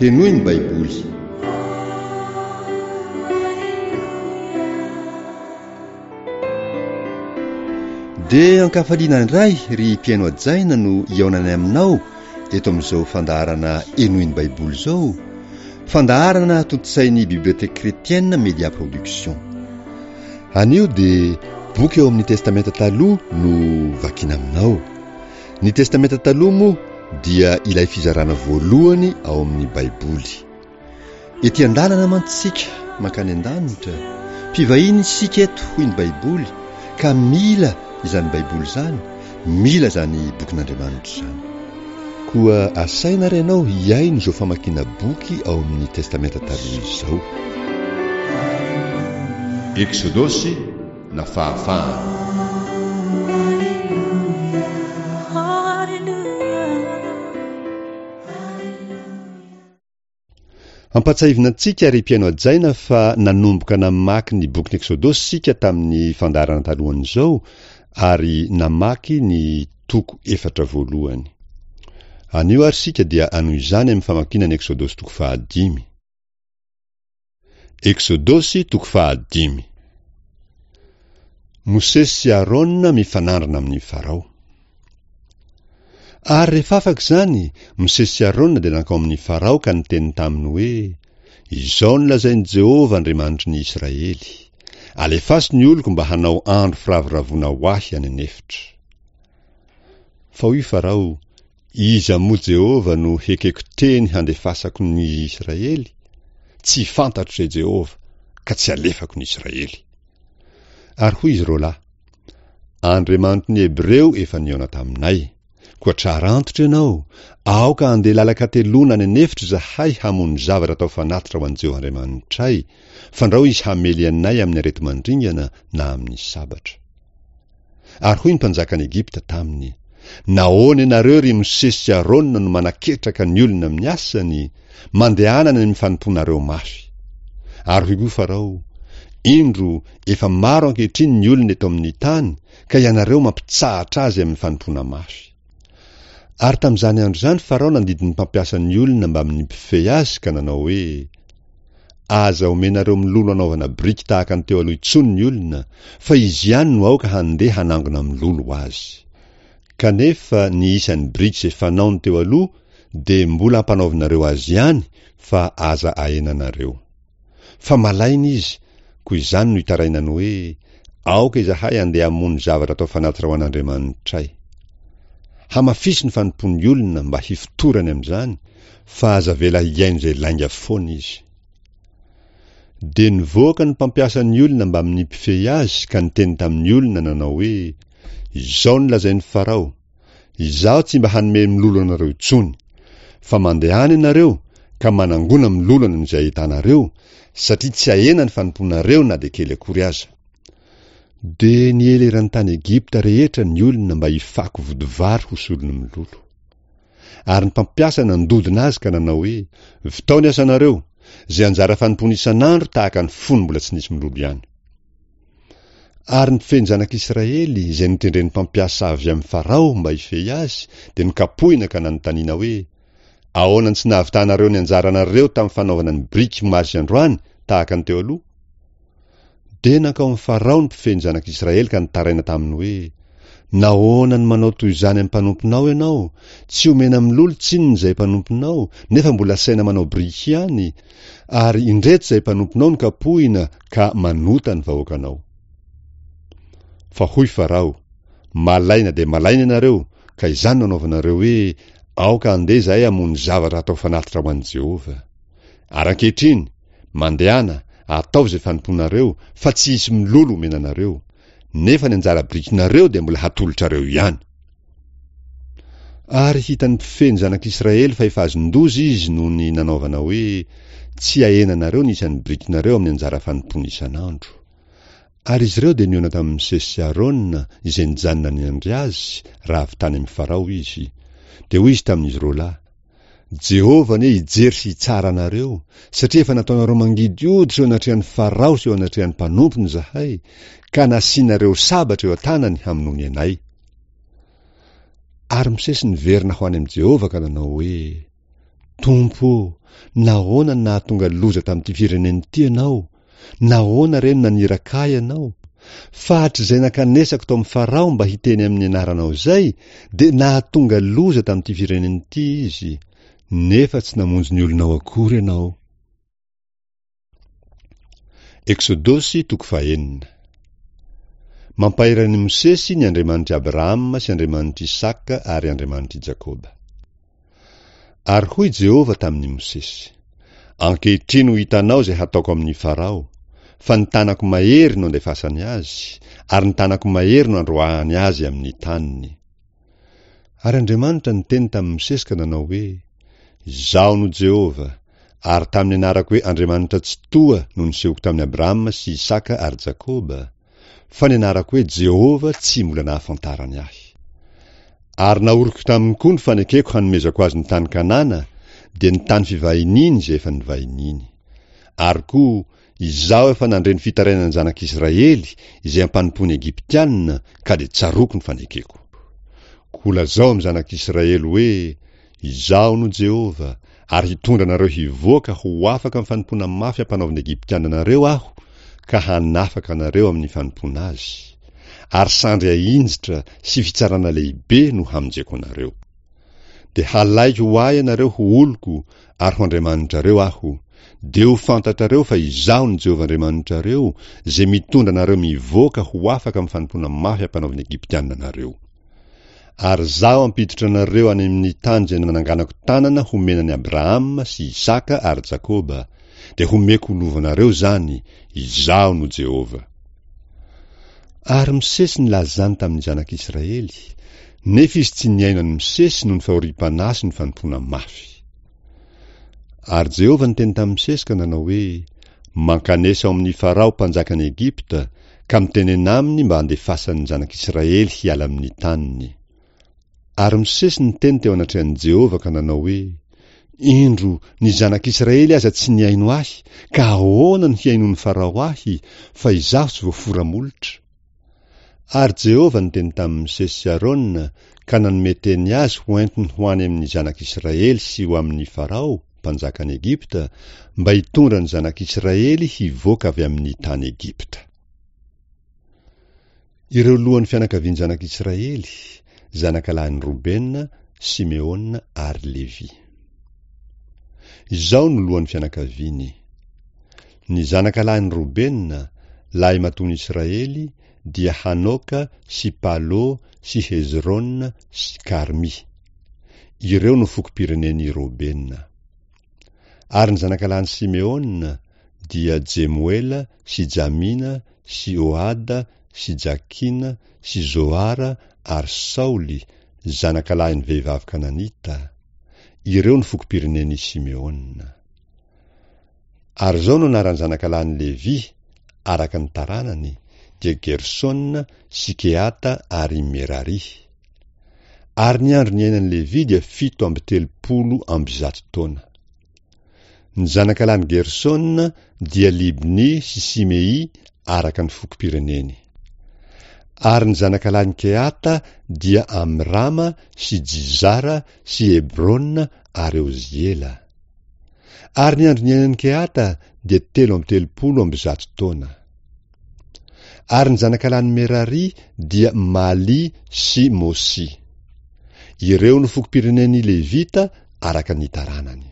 Henoy ny Baiboly. Dia ankafaliana indray ry mpihaino hajaina no hihaonanay aminao eto amin'izao fandaharana Henoy ny Baiboly izao, fandaharana tontosain'ny Bibliothèque Chrétienne Media Production. Anio dia boky ao amin'ny Testamenta Taloha no vakiana aminao. Ny Testamenta Taloha moa dia ilay fizarana voalohany ao amin'ny Baiboly. Ety an-dalana mantsy isika mankany an-danitra, mpivahiny isika eto hoy ny Baiboly ka mila izany Baiboly izany, mila izany bokin'Andriamanitra izany. Koa asaina ary ianao hihaino izao famakiana boky ao amin'ny Testamenta Taloha izao. Eksodosy na fahafahana. Ampatsahivina antsika ry mpihaino hajaina fa nanomboka namaky ny bokin'ny Eksodosy isika tamin'ny fandaharana talohan'izao ary namaky ny toko efatra voalohany. Anio ary isika dia hanohy izany amin'ny famakiana ny Eksodosy toko fahadimy. Eksodosy toko fahadimy. Mosesy sy Arona mifanandrina amin'i Farao. Ary rehefa afaka izany, Mosesy sy Arona dia nankao amin'i Farao ka niteny taminy hoe, Izao no lazain'i Jehovah Andriamanitry ny Israely, Alefaso ny oloko mba hanao andro firavoravoana ho ahy any an'efitra. Fa hoy Farao, Iza moa Jehovah no hekeko teny handefasako ny Israely? Tsy fantatro izay Jehovah, ka tsy alefako ny Israely. Ary hoy izy roalahy, Andriamanitry ny Hebreo efa nihaona taminay. Koa tsara antitra ianao, aoka handeha lalan-kateloana any an'efitra izahay hamono zavatra atao fanatitra ho an'i Jehovah Andriamanitray, fandrao izy hamely anay amin'ny areti-mandringana na amin'ny sabatra. Ary hoy ny mpanjakan'i Egypta taminy, Nahoana ianareo, ry Mosesy sy Arona, no manaketraka ny olona amin'ny asany? Mandehana any amin'ny fanompoanareo mafy. Ary hoy koa Farao, Indro, efa maro ankehitriny ny olona eto amin'ny tany, ka ianareo mampitsahatra azy amin'ny fanompoana mafy. Ary tamin'izany andro izany Farao nandidy ny mpampiasa ny olona mbamin'ny mpifehy azy ka nanao hoe, Aza omenareo mololo hanaovana biriky tahaka ny teo aloha intsony ny olona, fa izy ihany no aoka handeha hanangona mololo ho azy. Kanefa ny isan'ny biriky izay fanaony teo aloha dia mbola ampanaovinareo azy ihany fa aza ahenanareo. Fa malaina izy, koa izany no itarainany hoe, Aoka izahay handeha hamono zavatra atao fanatitra ho an'Andriamanitray. Hamafiso ny fanompoan'ny olona mba hifotorany amin'izany, fa aza avela hihaino izay lainga foana izy. Dia nivoaka ny mpampiasa ny olona mbamin'ny mpifehy azy ka niteny tamin'ny olona nanao hoe, Izao no lazain'i Farao, Izaho tsy mba hanome mololo anareo intsony, fa mandehana ianareo ka manangona mololo any amin'izay ahitanareo, satria tsy hahena ny fanompoanareo na dia kely akory aza. Dia niely eran'ny tany Egypta rehetra ny olona mba hifako vodivary ho solon'ny mololo. Ary ny mpampiasa nandodona azy ka nanao hoe, Vitao ny asanareo, izay anjara fanompoana isan'andro tahaka ny fony mbola tsy nisy mololo ihany. Ary ny mpifehy ny zanak'Israely, izay notendren'ny mpampiasa avy amin'i Farao mba hifehy azy, dia nokapohina ka nanontaniana hoe, Ahoana no tsy nahavitanareo ny anjaranareo tamin'ny fanaovana ny biriky omaly sy androany tahaka ny teo aloha? Dia nankao amin'i Farao ny mpifehy ny zanak'Israely ka nitaraina taminy hoe, Nahoana no manao toy izany amin'ny mpanomponao ianao? Tsy omena milolo tsinona izay mpanomponao, nefa mbola asaina manao biriky ihany, ary indreto izay mpanomponao no kapohina ka manota ny vahoakanao. Fa hoy Farao, Malaina dia malaina ianareo, ka izany no anaovanareo hoe, Aoka handeha izahay hamono zavatra hatao fanatitra ho an'i Jehovah. Ary ankehitriny, Mandehana, ataovy izay fanompoanareo, fa tsy hisy milolo homena anareo. Nefa ny anjara birikinareo dia mbola hatolotrareo ihany. Ary hitan'ny mpifehy ny zanak'Israely fa efa azon-doza izy noho ny nanaovana hoe, Tsy hahenanareo ny isan'ny birikinareo amin'ny anjara fanompoana isan'andro. Ary izy ireo dia nihaona tamin'i Mosesy sy Arona, izay nijanona niandry azy, raha avy tany amin'i Farao izy. Dia hoy izy tamin'izy roalahy, Jehovah anie hijery sy hitsara anareo, satria efa nataonareo mangidy hoditra eo anatrehan'i Farao sy eo anatrehan'ny mpanompony izahay, ka nasianareo sabatra eo an-tanany hamonoany anay. Ary Mosesy niverina ho any amin'i Jehovah ka nanao hoe, Tompo ô, nahoana no nahatonga loza tamin'ity firenena ity Ianao? Nahoana re no naniraka ahy Ianao? Fa hatrizay nankanesako tao amin'i Farao mba hiteny amin'ny anaranao izay, dia nahatonga loza tamin'ity firenena ity izy, nefa tsy namonjy ny olonao akory Ianao. Eksodosy toko fahenina. Mampahery an'i Mosesy ny Andriamanitr'i Abrahama sy Andriamanitr'i Isaka ary Andriamanitr'i Jakoba. Ary hoy Jehovah tamin'i Mosesy, Ankehitriny ho hitanao izay hataoko amin'i Farao, fa ny tanako mahery no andefasany azy, ary ny tanako mahery no androahany azy amin'ny taniny. Ary Andriamanitra niteny tamin'i Mosesy ka nanao hoe, Izaho no Jehovah, ary tamin'ny anarako hoe Andriamanitra Tsitoha no nisehoko tamin'i Abrahama sy Isaka ary Jakoba, fa ny anarako hoe Jehovah tsy mbola nahafantarany ahy. Ary nahoriko taminy koa ny fanekeko hanomezako azy ny tany Kanana, dia ny tany fivahiniany izay efa nivahiniany. Ary koa, Izaho efa nandre ny fitarainan'ny zanak'Israely izay ampanompoan'ny Egyptiana, ka dia tsaroako ny fanekeko. Koa lazao amin'ny zanak'Israely hoe, Izaho no Jehovah, ary hitondra anareo hivoaka ho afaka amin'ny fanompoana mafy ampanaovin'ny Egyptiana anareo Aho, ka hanafaka anareo amin'ny fanompoana azy. Ary sandry ahinjitra sy fitsarana lehibe no hamonjeko anareo. Dia halaiko ho ahy ianareo ho oloko, ary ho Andriamanitrareo Aho. Dia ho fantatrareo fa Izaho no Jehovah Andriamanitrareo, izay mitondra anareo mivoaka ho afaka amin'ny fanompoana mafy ampanaovin'ny Egyptiana anareo. Ary Izaho hampiditra anareo any amin'ny tany izay nananganako tanana homena an'i Abrahama sy Isaka ary Jakoba, dia homeko ho lovanareo izany, Izaho no Jehovah. Ary Mosesy nilaza izany tamin'ny zanak'Israely, nefa izy tsy nihaino an'i Mosesy noho ny fahoriam-panahy sy ny fanompoana mafy. Ary Jehovah niteny tamin'i Mosesy ka nanao hoe, Mankanesa ao amin'i Farao mpanjakan'i Egypta, ka mitenena aminy mba handefasany ny zanak'Israely hiala amin'ny taniny. Ary Mosesy niteny teo anatrehan'i Jehovah ka nanao hoe, Indro, ny zanak'Israely aza tsy nihaino ahy, ka ahoana no hihainoan'i Farao ahy, fa izaho tsy voafora molotra? Ary Jehovah niteny tamin'i Mosesy sy Arona ka nanome teny azy ho entiny ho any amin'ny zanak'Israely sy ho amin'i Farao, mpanjakan'i Egypta, mba hitondra ny zanak'Israely hivoaka avy amin'ny tany Egypta. Ireo lohan'ny fianakavian'ny zanak'Israely, zanakalahin'i Robena, Simeona ary Levy. Izao no lohan'ny fianakaviany, Ny zanakalahin'i Robena, lahimatoan'i Israely, dia Hanoka sy Palo sy Hezrona sy Karmy. Ireo no fokom-pirenen'i Robena. Ary ny zanakalahin'i Simeona dia Jemoela sy Jamina sy Ohada sy Jakina sy Zohara ary Saoly, zanakalahin'ny vehivavy kananita. Ireo no fokom-pirenen'i Simeona. Ary izao no anaran'ny zanakalahin'i Levy, araka ny taranany, dia Gersona sy Kehata ary Merary. Ary ny andro niainan'i Levy dia 137 taona. Ny zanakalahin'i Gersona dia Libny sy Simei araka ny fokom-pireneny. Ary ny zanakalahin'i Kehata dia Amrama sy Jizara sy Hebrona ary Oziela. Ary ny andro niainan'i Kehata dia 133 taona. Ary ny zanakalahin'i Merary dia Maly sy Mosy. Ireo no fokom-pirenen'ny Levita araka ny taranany.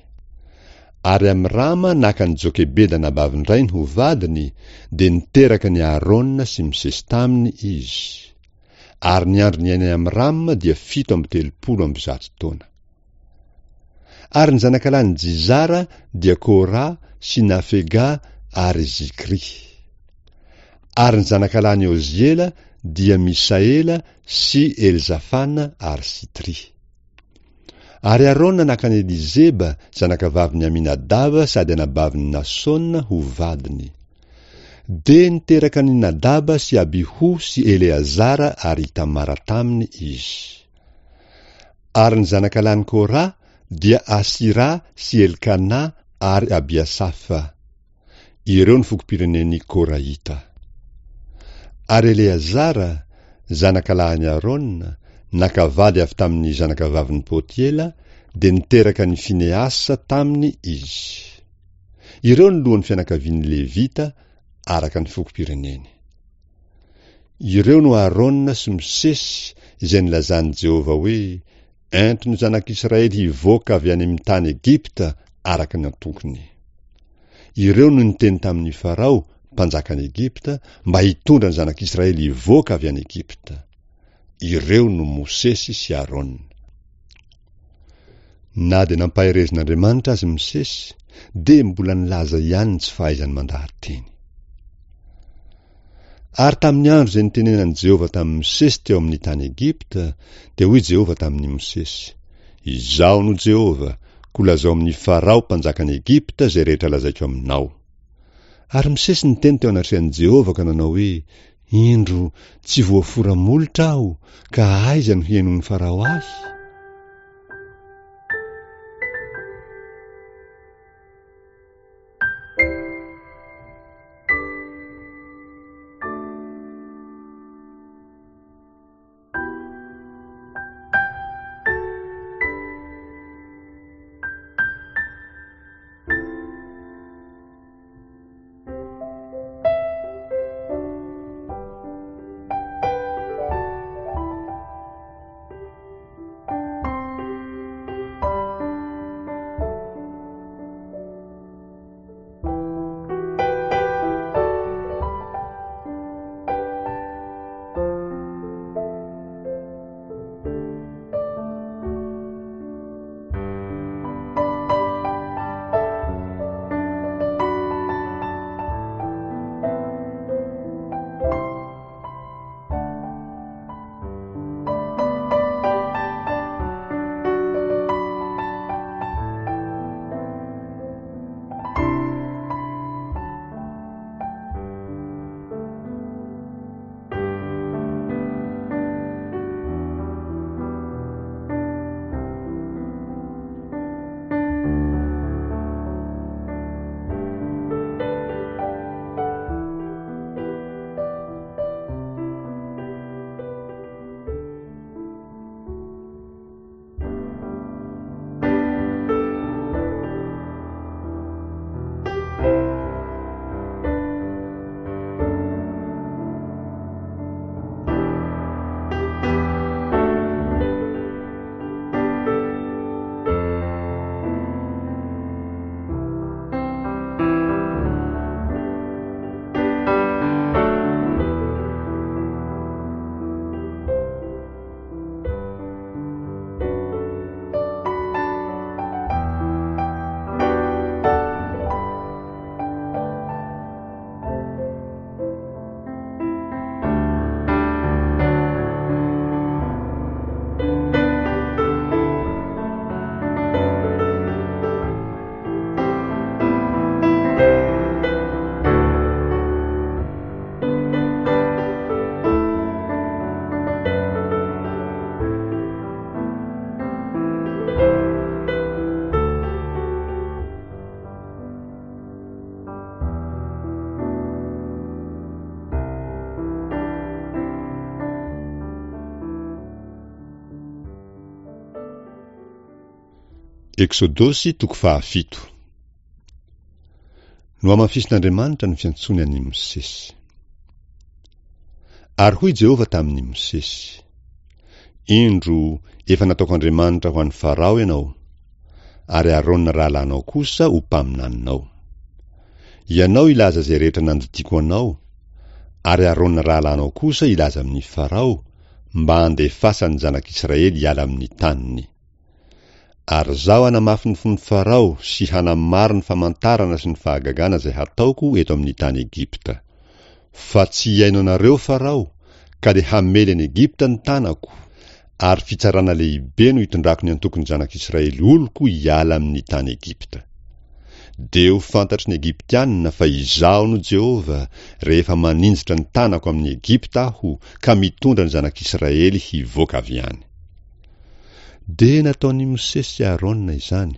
Ary Amrama naka an'i Jokebeda anabavin-drainy ho vadiny, dia niteraka an'i Aharôna sy Mosesy taminy izy. Ary ny andro niainan'i Amrama dia 137 taona. Ary ny zanakalahin'i Jizara dia Kora sy Nafega ary Zikry. Ary ny zanakalahin'i Oziela dia Misaela sy Elzafana ary Sitry. Ary Arona naka an'i Elizeba, zanakavavin'i Aminadaba sady anabavin'i Nasona ho vadiny. Dia niteraka an'i Nadaba sy Abiho sy Eleazara ary Itamara taminy izy. Ary ny zanakalahin'i Kora dia Asira sy Elkana ary Abiasafa. Ireo no fokom-pirenen'ny Korahita. Ary Eleazara, zanakalahin'i Arona, naka vady avy tamin'ny zanakavavin'i Potiela, dia niteraka an'i Finehasa taminy izy. Ireo no lohan'ny fianakavian'ny Levita araka ny fokom-pireneny. Ireo no Arona sy Mosesy izay nilazan'i Jehovah hoe, Ento ny zanak'Israely hivoaka avy any amin'ny tany Egypta araka ny antokony. Ireo no niteny tamin'i Farao, mpanjakan'i Egypta, mba hitondra ny zanak'Israely hivoaka avy any Egypta. Ireo no Mosesy sy Arona. Na dia nampaherezin'Andriamanitra aza i Mosesy, dia mbola nilaza ihany ny tsy fahaizany mandaha-teny. Ary tamin'ny andro izay nitenenan'i Jehovah tamin'i Mosesy teo amin'ny tany Egypta, dia hoy Jehovah tamin'i Mosesy, Izaho no Jehovah, koa lazao amin'i Farao mpanjakan'i Egypta izay rehetra lazaiko aminao. Ary Mosesy niteny teo anatrehan'i Jehovah ka nanao hoe, Indro, tsy voafora molotra aho, ka aiza no hihainoan'i Farao ahy? Eksodosy toko fahafito. Nohamafisin'Andriamanitra ny fiantsoany an'i Mosesy. Ary hoy Jehovah tamin'i Mosesy, Indro, efa nataoko Andriamanitra ho an'i Farao ianao, ary Arona rahalahinao kosa ho mpaminaninao. Ianao hilaza izay rehetra nandidiako anao, ary Arona rahalahinao kosa hilaza amin'i Farao, mba handefasany ny zanak'Israely hiala amin'ny taniny. Ary Izaho hanamafy ny fon'i Farao sy hanamaro ny famantarana sy ny fahagagana izay hataoko eto amin'ny tany Egypta. Fa tsy hihaino anareo Farao, ka dia hamely an'i Egypta ny tanako, ary fitsarana lehibe no hitondrako ny antokon'ny zanak'Israely oloko hiala amin'ny tany Egypta. Dia ho fantatry ny Egyptianina fa Izaho no Jehovah, rehefa maninjitra ny tanako amin'i Egypta Aho ka mitondra ny zanak'Israely hivoaka avy any. Dia nataon'i Mosesy sy Arona izany,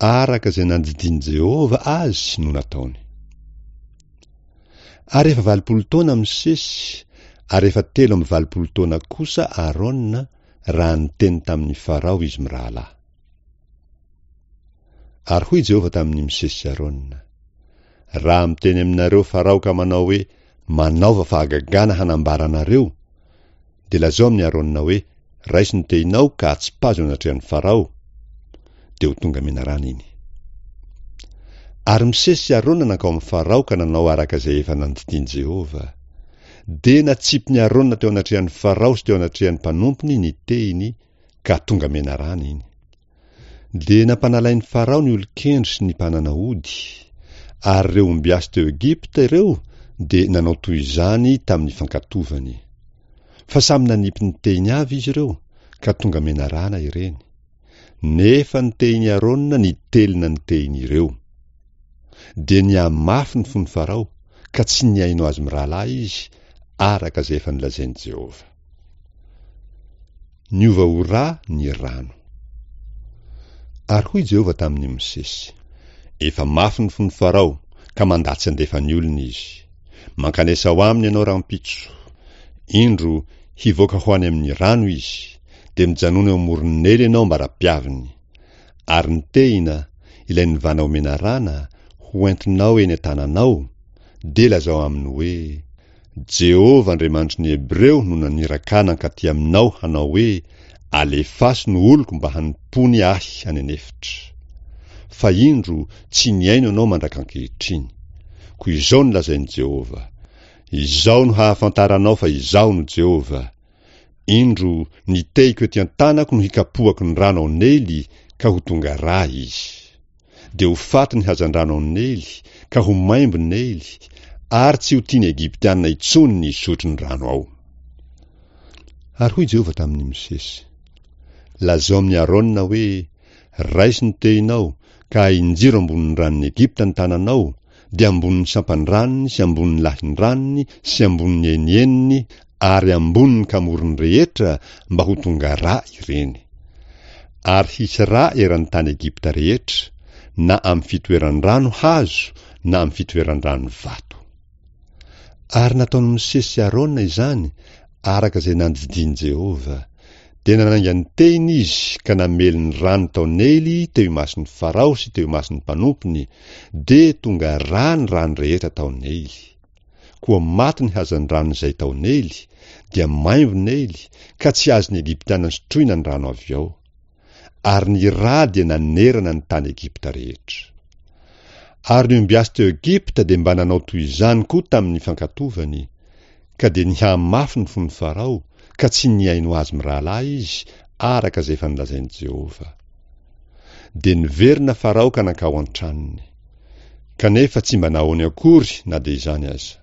araka izay nandidian'i Jehovah azy no nataony. Ary efa 80 taona Mosesy, ary efa 83 taona kosa Arona raha niteny tamin'i Farao izy mirahalahy. Ary hoy Jehovah tamin'i Mosesy sy Arona, Raha miteny aminareo Farao ka manao hoe, Manaova fahagagana hanambara anareo, dia lazao amin'i Arona hoe, Raiso ny tehinao ka atsipazo eo anatrehan'i Farao, dia ho tonga menarana iny. Ary Mosesy sy Arona nankao amin'i Farao ka nanao araka izay efa nandidian'i Jehovah. Dia natsipin'i Arona teo anatrehan'i Farao sy teo anatrehan'ny mpanompony ny tehiny, ka tonga menarana iny. Dia nampanalain'i Farao ny olon-kendry sy ny mpanana ody, ary ireo ombiasy teo Egypta ireo dia nanao toy izany tamin'ny fankatovany. Fa samy nanipy ny tehiny avy izy ireo, ka tonga menarana ireny. Nefa ny tehin'i Arona nitelina ny tehin'ireo. Dia nihamafy ny fon'i Farao, ka tsy nihaino azy mirahalahy izy, araka izay efa nolazain'i Jehovah. Niova ho ra ny rano. Ary hoy Jehovah tamin'i Mosesy, Efa mafy ny fon'i Farao, ka mandà tsy handefa ny olony izy. Mankanesa ao aminy ianao rahampitso. Indro, hivoaka ho any amin'ny rano izy, dia mijanona eo amoron'i Neily ianao ambara-piaviny. Ary ny tehina, ilay nivana ho menarana, ho entinao eny an-tananao, dia lazao aminy hoe, Jehovah Andriamanitry ny Hebreo no naniraka ahy nankaty aminao hanao hoe, Alefaso ny oloko mba hanompoany ahy any an'efitra. Fa indro, tsy nihaino ianao mandrak'ankehitriny. Koa izao no lazain'i Jehovah, Izao no hahafantaranao fa Izaho no Jehovah, Indro, ny tehiko ety an-tanako no hikapohako ny rano ao Neily, ka ho tonga rà izy. Dia ho faty ny hazandrano ao Neily, ka ho maimbo Neily, ary tsy ho tian'ny Egyptiana intsony ny hisotro ny rano ao. Ary hoy Jehovah tamin'i Mosesy, Lazao amin'i Arona hoe, Raiso ny tehinao, ka ahinjiro ambonin'ny ranon'i Egypta ny tananao, dia ambonin'ny sampan-dranony sy ambonin'ny lahin-dranony sy ambonin'ny enieniny ary ambonin'ny kamorony rehetra mba ho tonga rà ireny. Ary hisy rà eran'ny tany Egypta rehetra, na amin'ny fitoeran-drano hazo na amin'ny fitoeran-drano vato. Ary nataon'i Mosesy sy Arona izany araka izay nandidian'i Jehovah. Dia nanainga ny tehiny izy ka namely ny rano tao Neily teo imason'i Farao sy teo imason'ny mpanompony, dia tonga rà ny rano rehetra tao Neily. Koa maty ny hazandrano izay tao Neily, dia maimbo Neily, ka tsy azon'ny Egyptiana sotroina ny rano avy ao. Ary ny rà dia nanerana ny tany Egypta rehetra. Ary ny ombiasy teo Egypta dia mba nanao toy izany koa tamin'ny fankatovany, ka dia nihamafy ny fon'i Farao, ka tsy nihaino azy mirahalahy izy, araka izay efa nolazain'i Jehovah. Dia niverina Farao ka nankao an-tranony. Kanefa tsy mba nahoany akory na dia izany aza.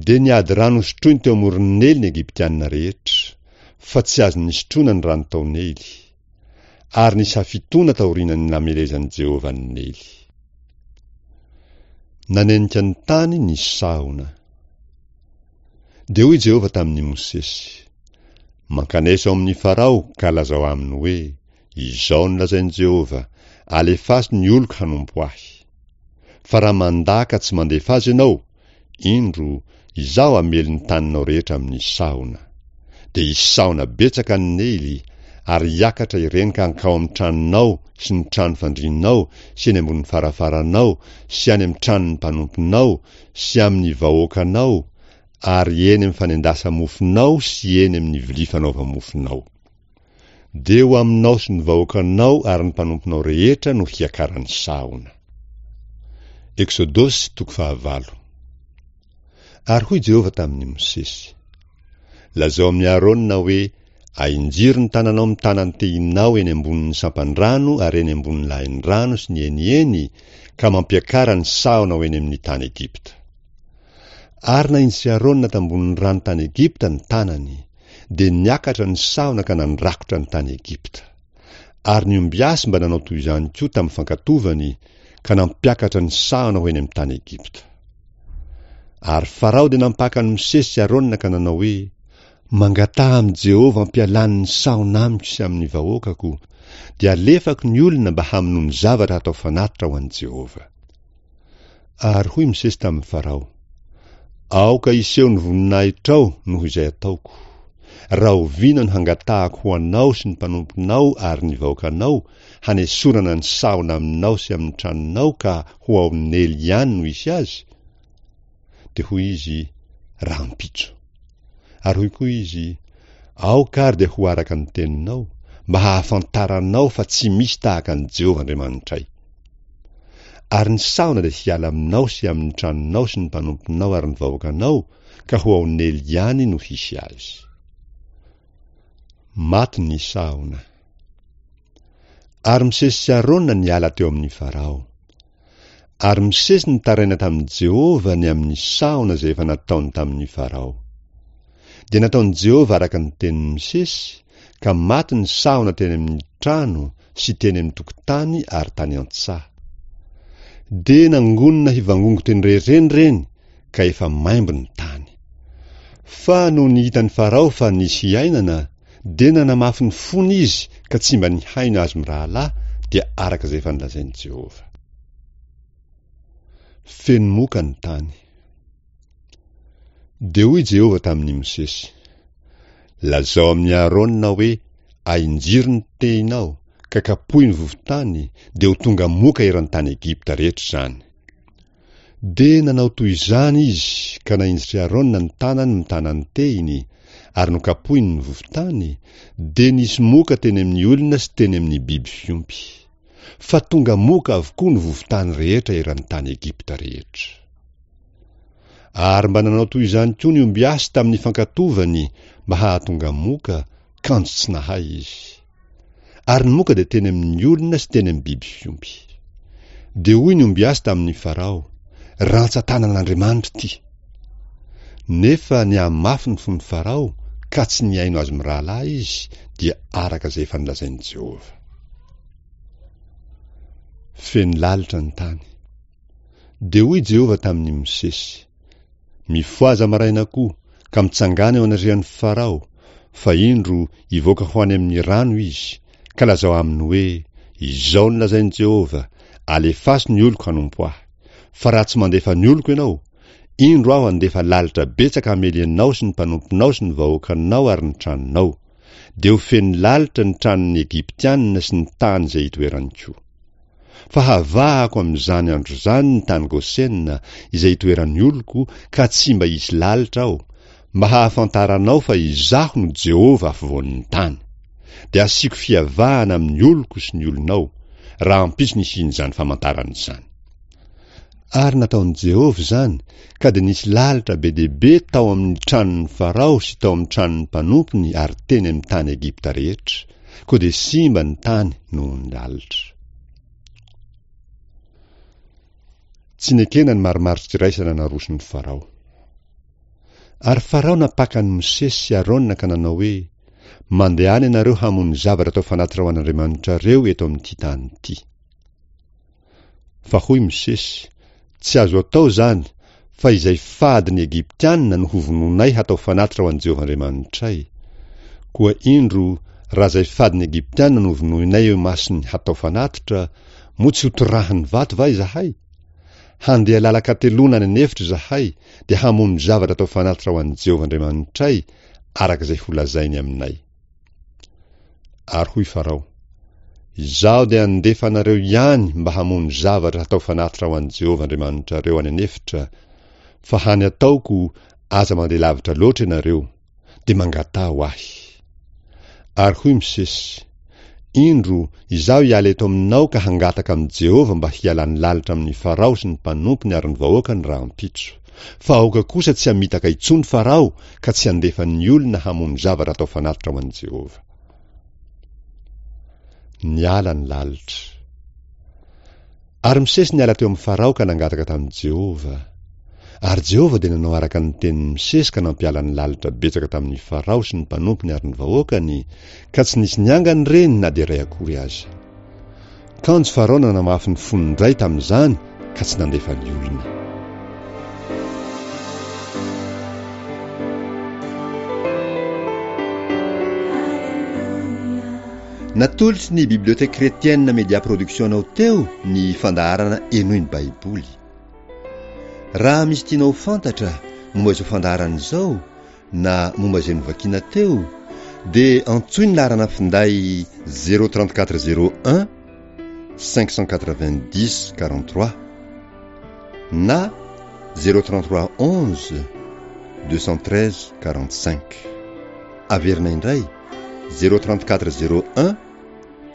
Dia niady rano hosotroiny teo amoron'i Neily ny Egyptiana rehetra, fa tsy azony nisotroina ny rano tao Neily. Ary nisy hafitoana taorianan'ny namelezan'i Jehovah an'i Neily. Nanenika ny tany ny sahona. Dia hoy Jehovah tamin'i Mosesy, Mankanesa ao amin'i Farao ka lazao aminy hoe, Izao no lazain'i Jehovah, Alefaso ny oloko hanompo ahy. Fa raha mandà ka tsy mandefa azy ianao, indro, Izaho hamely ny taninao rehetra amin'ny sahona. Dia hisy sahona betsaka any Neily, ary hiakatra ireny ka hankao amin'ny tranonao sy ny trano fandrianao sy eny ambonin'ny farafaranao sy any amin'ny tranon'ny mpanomponao sy amin'ny vahoakanao ary eny amin'ny fanendasa-mofonao sy eny amin'ny vilia fanaova-mofonao. Dia ho aminao sy ny vahoakanao ary ny mpanomponao rehetra no hiakaran'ny sahona. Eksodosy toko fahavalo. Ary hoy Jehovah tamin'i Mosesy, Lazao amin'i Arona hoe, Ahinjiro ny tananao mitana ny tehinao eny ambonin'ny sampan-drano ary eny ambonin'ny lahin-drano sy ny heniheny, ka mampiakara ny sahona ho eny amin'ny tany Egypta. Ary nahinjitry Arona tambonin'ny rano tany Egypta ny tanany, dia niakatra ny sahona ka nandrakotra ny tany Egypta. Ary ny ombiasy mba nanao toy izany koa tamin'ny fankatovany, ka nampiakatra ny sahona ho eny amin'ny tany Egypta. Ary Farao dia nampaka an'i Mosesy sy Arona ka nanao hoe, Mangataha amin'i Jehovah hampialany ny sahona amiko sy amin'ny vahoakako, dia alefako ny olona mba hamono ny zavatra hatao fanatitra ho an'i Jehovah. Ary hoy Mosesy tamin'i Farao, Aoka hiseho ny voninahitrao noho izay ataoko. Rahoviana no hangatahako ho anao sy ny mpanomponao ary ny vahoakanao, hanesorana ny sahona aminao sy amin'ny tranonao ka ho ao Neily ihany no hisy azy? Dia hoy izy, Rahampitso. Ary hoy koa izy, Aoka ary dia ho araka ny teninao, mba hahafantaranao fa tsy misy tahaka an'i Jehovah Andriamanitray. Ary ny sahona dia hiala aminao sy amin'ny tranonao sy ny mpanomponao ary ny vahoakanao, ka ho ao Neily ihany no hisy azy. Maty ny sahona. Ary Mosesy sy Arona niala teo amin'i Farao. Ary Mosesy nitaraina tamin'i Jehovah ny amin'ny sahona izay efa nataony tamin'i Farao. Dia nataon'i Jehovah araka ny tenin'i Mosesy, ka maty ny sahona teny amin'ny trano sy teny amin'ny tokotany ary tany an-tsaha. Dia nangonina hivangongo teny rehetra eny ireny, ka efa maimbo ny tany. Fa nony hitan'i Farao fa nisy hiainana, dia nanamafy ny fony izy ka tsy mba nihaino azy mirahalahy, dia araka izay efa nolazain'i Jehovah. Feno moka ny tany. Dia hoy Jehovah tamin'i Mosesy, Lazao amin'i Aharôna hoe, Ahinjiro ny tehinao, ka kapohy ny vovon-tany, dia ho tonga moka eran-tany Egypta rehetra izany. Dia nanao toy izany izy, ka nahinjitr'i Aharôna ny tanany mitana ny tehiny, ary nokapohiny ny vovon-tany, dia nisy moka teny amin'ny olona sy teny amin'ny biby fiompy. Fa tonga moka avokoa ny vovon-tany rehetra eran'ny tany Egypta rehetra. Ary mba nanao toy izany koa ny ombiasy tamin'ny fankatovany mba hahatonga moka, kanjo tsy nahay izy. Ary ny moka dia teny amin'ny olona sy teny amin'ny biby fiompy. Dia hoy ny ombiasy tamin'i Farao, Rantsan-tanan'Andriamanitra ity! Nefa nihamafy ny fon'i Farao, ka tsy nihaino azy mirahalahy izy, dia araka izay efa nolazain'i Jehovah. Feno lalitra ny tany. Dia hoy Jehovah tamin'i Mosesy, Mifohaza maraina koa, ka mitsangàna eo anatrehan'i Farao, fa indro, hivoaka ho any amin'ny rano izy, ka lazao aminy hoe, Izao no lazain'i Jehovah, Alefaso ny oloko hanompo ahy. Fa raha tsy mandefa ny oloko ianao, indro aho handefa lalitra betsaka hamely anao sy ny mpanomponao sy ny vahoakanao ary ny tranonao. Dia ho feno lalitra ny tranon'ny Egyptiana sy ny tany izay itoerany koa. Fa havahako amin'izany andro izany ny tany Gosena, izay itoeran'ny oloko, ka tsy mba hisy lalitra ao, mba hahafantaranao fa Izaho no Jehovah afovoan'ny tany. Dia hasiako fiavahana amin'ny oloko sy ny olonao, rahampitso ny hisian'izany famantarana izany. Ary nataon'i Jehovah izany, ka dia nisy lalitra be dia be tao amin'ny tranon'i Farao sy tao amin'ny tranon'ny mpanompony ary teny amin'ny tany Egypta rehetra, koa dia simba ny tany noho ny lalitra. Tsy nekena ny marimaritra-iraisana naroson'i Farao. Ary Farao nampaka an'i Mosesy sy Arona ka nanao hoe, Mandehana ianareo hamono zavatra atao fanatitra ho an'Andriamanitrareo eto amin'ity tany ity. Fa hoy Mosesy, Tsy azo atao izany, fa izay fady ny Egyptiana no hovonoinay hatao fanatitra ho an'i Jehovah Andriamanitray. Koa indro, raha izay fady ny Egyptiana no vonoinay eo imasony hatao fanatitra, moa tsy hotorahany vato va izahay? Handeha lalan-kateloana any an'efitra izahay, dia hamono zavatra atao fanatitra ho an'i Jehovah Andriamanitray, araka izay holazainy aminay. Ary hoy Farao, Izaho dia handefa anareo ihany mba hamono zavatra hatao fanatitra ho an'i Jehovah Andriamanitrareo any an'efitra, fa hany ataoko, aza mandeha lavitra loatra ianareo, dia mangataha ho ahy. Ary hoy Mosesy, Indro, izaho hiala eto aminao ka hangataka amin'i Jehovah mba hialany lalitra amin'i Farao sy ny mpanompony ary ny vahoakany rahampitso. Fa aoka kosa tsy hamitaka intsony Farao ka tsy handefa ny olona hamono zavatra atao fanatitra ho an'i Jehovah. Niala ny lalitra. Ary Mosesy niala teo amin'i Farao ka nangataka tamin'i Jehovah. Ary Jehovah dia nanao araka ny tenin'i Mosesy ka nampiala ny lalitra betsaka tamin'i Farao sy ny mpanompony ary ny vahoakany, ka tsy nisy niangana ireny na dia iray akory aza. Kanjo Farao nanamafy ny fony indray tamin'izany ka tsy nandefa ny olona. Natolotry ny Bibliothèque Chrétienne Media Production anao teo ny fandaharana Henoy ny Baiboly. Raha misy tianao ho fantatra momba izao fandaharana izao na momba izay novakina teo, dia antsoy ny laharana finday 034 01 590 43 na 033 11 213 45. Averina indray 034 01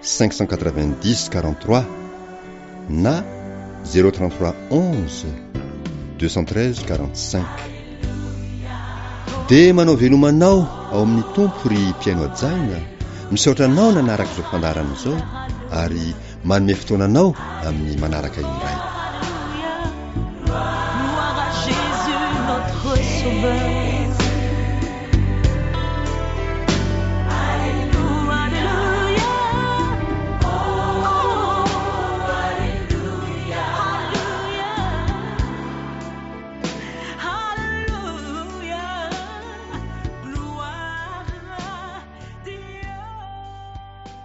590 43 na 033 11 213 45. Dia manao veloma anao ao amin'ny Tompo ry mpihaino hajaina, misaotra anao nanaraka izao fandaharana izao ary manome fotoana anao amin'ny manaraka indray. Gloire à Jésus notre sauveur.